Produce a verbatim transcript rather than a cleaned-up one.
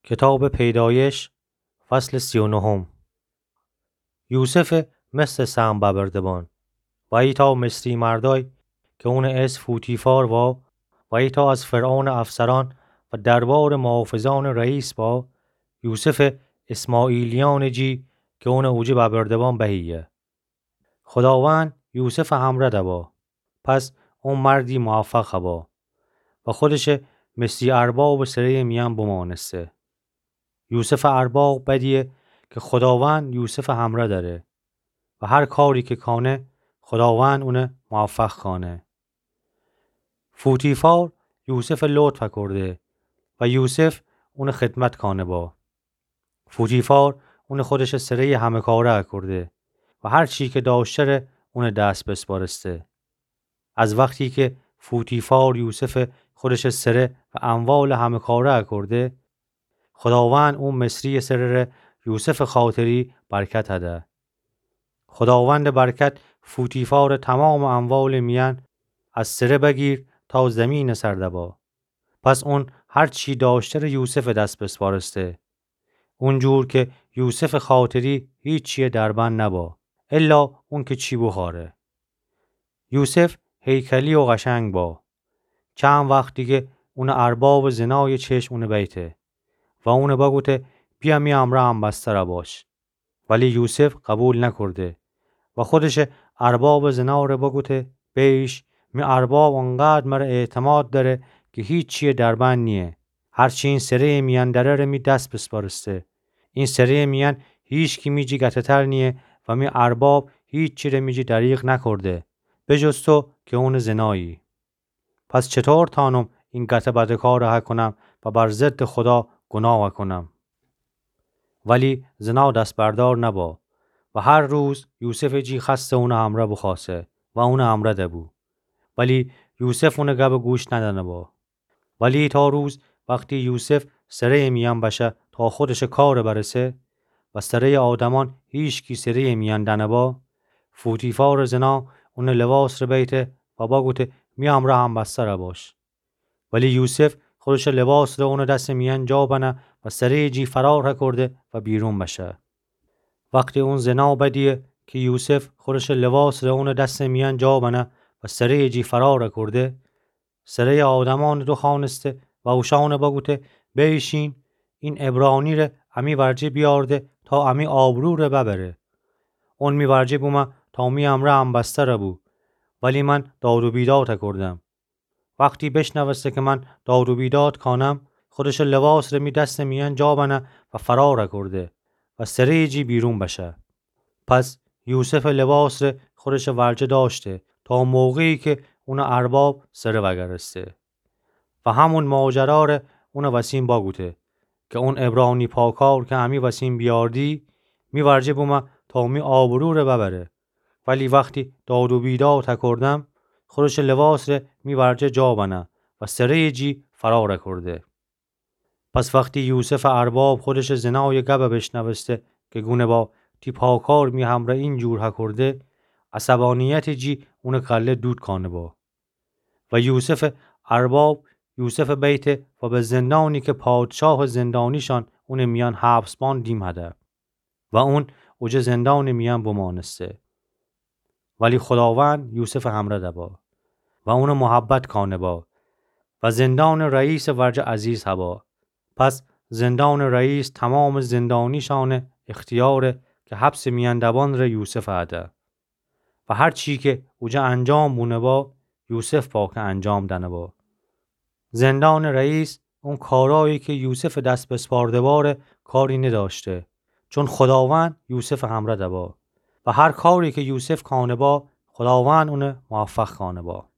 کتابٚ پیدایش، فصلٚ سی و نهم. یوسفٚ مصرٚ سهم ببرده بان و ایتأ مصری مردأی کی اونٚ اسم فوتیفار وا و ایتأ از فرعونٚ افسرأن و دربارٚ محافظأنٚ رئیس وا، یوسفٚ اسماعیلیأنٚ جی کی اونٚ اوجه ببرده بان بهیه. خوداوند یوسفٚ همرأ دبا، پس او مردی موفق با و خودشٚ مصری اربابٚ سره‌یٚ میأن بمأنسته. یوسفٚ ارباب بدیه کی خوداوند یوسفٚ همرأ دأره و هر کاری کی کأنه خوداوند اون موفق کأنه. فوتیفار یوسفٚ لطف کرده و یوسف اونٚ خدمت کأنه با. فوتیفار اونٚ خودشٚ سره‌یٚ همه‌کاره اکرده و هر چی کی دأشتره اونٚ دس بسپارسته. از وختی کی فوتیفار یوسفٚ خودشٚ سره و اموالٚ همه‌کاره اکرده، خوداوند او مصریٚ سره ره یوسفٚ خاطری برکت هده. خوداوندٚ برکت فوتیفارٚ تومامٚ اموالٚ میأن، از سره بگیر تا زیمینٚ سر دبا. پس اون هر چی دأشتره یوسفٚ دس بسپارسته. اونجور کی یوسفٚ خاطری هیچییٚ دربند نبا، الا اون کی چی بوخوأره. یوسف هیکلی و قشنگ با. چند وخت دیگه اونٚ اربابٚ زنایٚ چشم اونٚ بیته و اونٚ بگوته: بیا می امرأ همبستر باش. ولی یوسف قوبیل نکرده و خودشٚ اربابٚ زنا ره بگوته: بیش، می ارباب اونقدر مره اعتماد دأره کی هیچییٚ دربند نییه. هر چی این سره‌یٚ میأن دأره ره می دس بسپارسته. این سره‌یٚ میأن هیچکی می جی گته‌تر نییه و می ارباب هیچی ره می جی دریغ نکرده، به جز تو کی اونٚ زنایی. پس چطور تأنم این گته بدکاره هکونم و بر ضدٚ خودا گوناه وأکونم؟ ولی زنا دس‌بردار نبا و هر روز یوسفٚ جی خأسته اونٚ امرأ بوخوأسه و اونٚ امرأ دبو. ولی یوسف اونٚ گبٚ گوش ندأنه با. ولی تا روز وختی یوسف سره‌یٚ میأن بشه تا خودشٚ کار برسه و سره‌یٚ آدمأن هیچکی سره‌یٚ میأن دأنه با، فوتیفارٚ زنا اونٚ لباس ره بیته و بگوته: می امرأ همبستر باش. ولی یوسف خودشٚ لباس ره اونٚ دسٚ میأن جا بنه و سره‌یٚ جی فرار هکرده و بیرون بشه. وختی اون زنا بدیه کی یوسف خودشٚ لباس ره اونٚ دسٚ میأن جا بنه و سره‌یٚ جی فرار هکرده، سره‌یٚ آدمأنٚ دوخوأنسته و اوشأنٚ بگوته: بیشین، این عبرانی ره امی ورجه بیأرده تا امی آبرو ره ببره. اون می ورجه بومه تا می امرأ همبستر بو، ولی من داد و بیداد هکردم. وختی بشنوسته کی من داد و بیداد کانم، خودشٚ لباس ره می دسٚ میأن جا بنه و فرار هکرده و سره‌یٚ جی بیرون بشه. پس یوسفٚ لباس ره خودشٚ ورجه دأشته تا موقعی کی اونٚ ارباب سره وأگرسته و همون ماجرا ره اونٚ وسین بگوته کی اون عبرانی پاکار کی امی وسین بیأردی، می ورجه بومه تا می آبرو ره ببره. ولی وختی داد و بیداد هکردم، خودشٚ لباس ره می ورجه جا بنه و سره‌یٚ جی فرار هکرده. پس وختی یوسفٚ ارباب خودشٚ زنایٚ گب بشنوسته کی گونه با تی پاکار می همرأ اینجور هکرده، عصبانیتٚ جی اونٚ کله دود کانه با. و یوسفٚ ارباب یوسف بیته و به زندانی کی پادشاهٚ زندانیشأن اونٚ میأن حبسبان دیمهده و اون اوجه زندانٚ میأن بمأنسته. ولی خوداوند یوسفٚ همرأ دبا و اونٚ محبت کانه با و زندانٚ رئیسٚ ورجه عزیز هبا. پس زندانٚ رئیس تومامٚ زندانیشأنٚ اختیار کی حبسٚ میأن دبان ره یوسف هده و هر چی کی اوجه انجام بونه با، یوسف با کی انجام دأنه با. زندانٚ رئیس اون کارایی کی یوسفٚ دس بسپارده با ره کاری ندأشته، چون خوداوند یوسفٚ همرأ دبا و هر کاری کی یوسف کانه با، خوداوند اون موفق کانه با.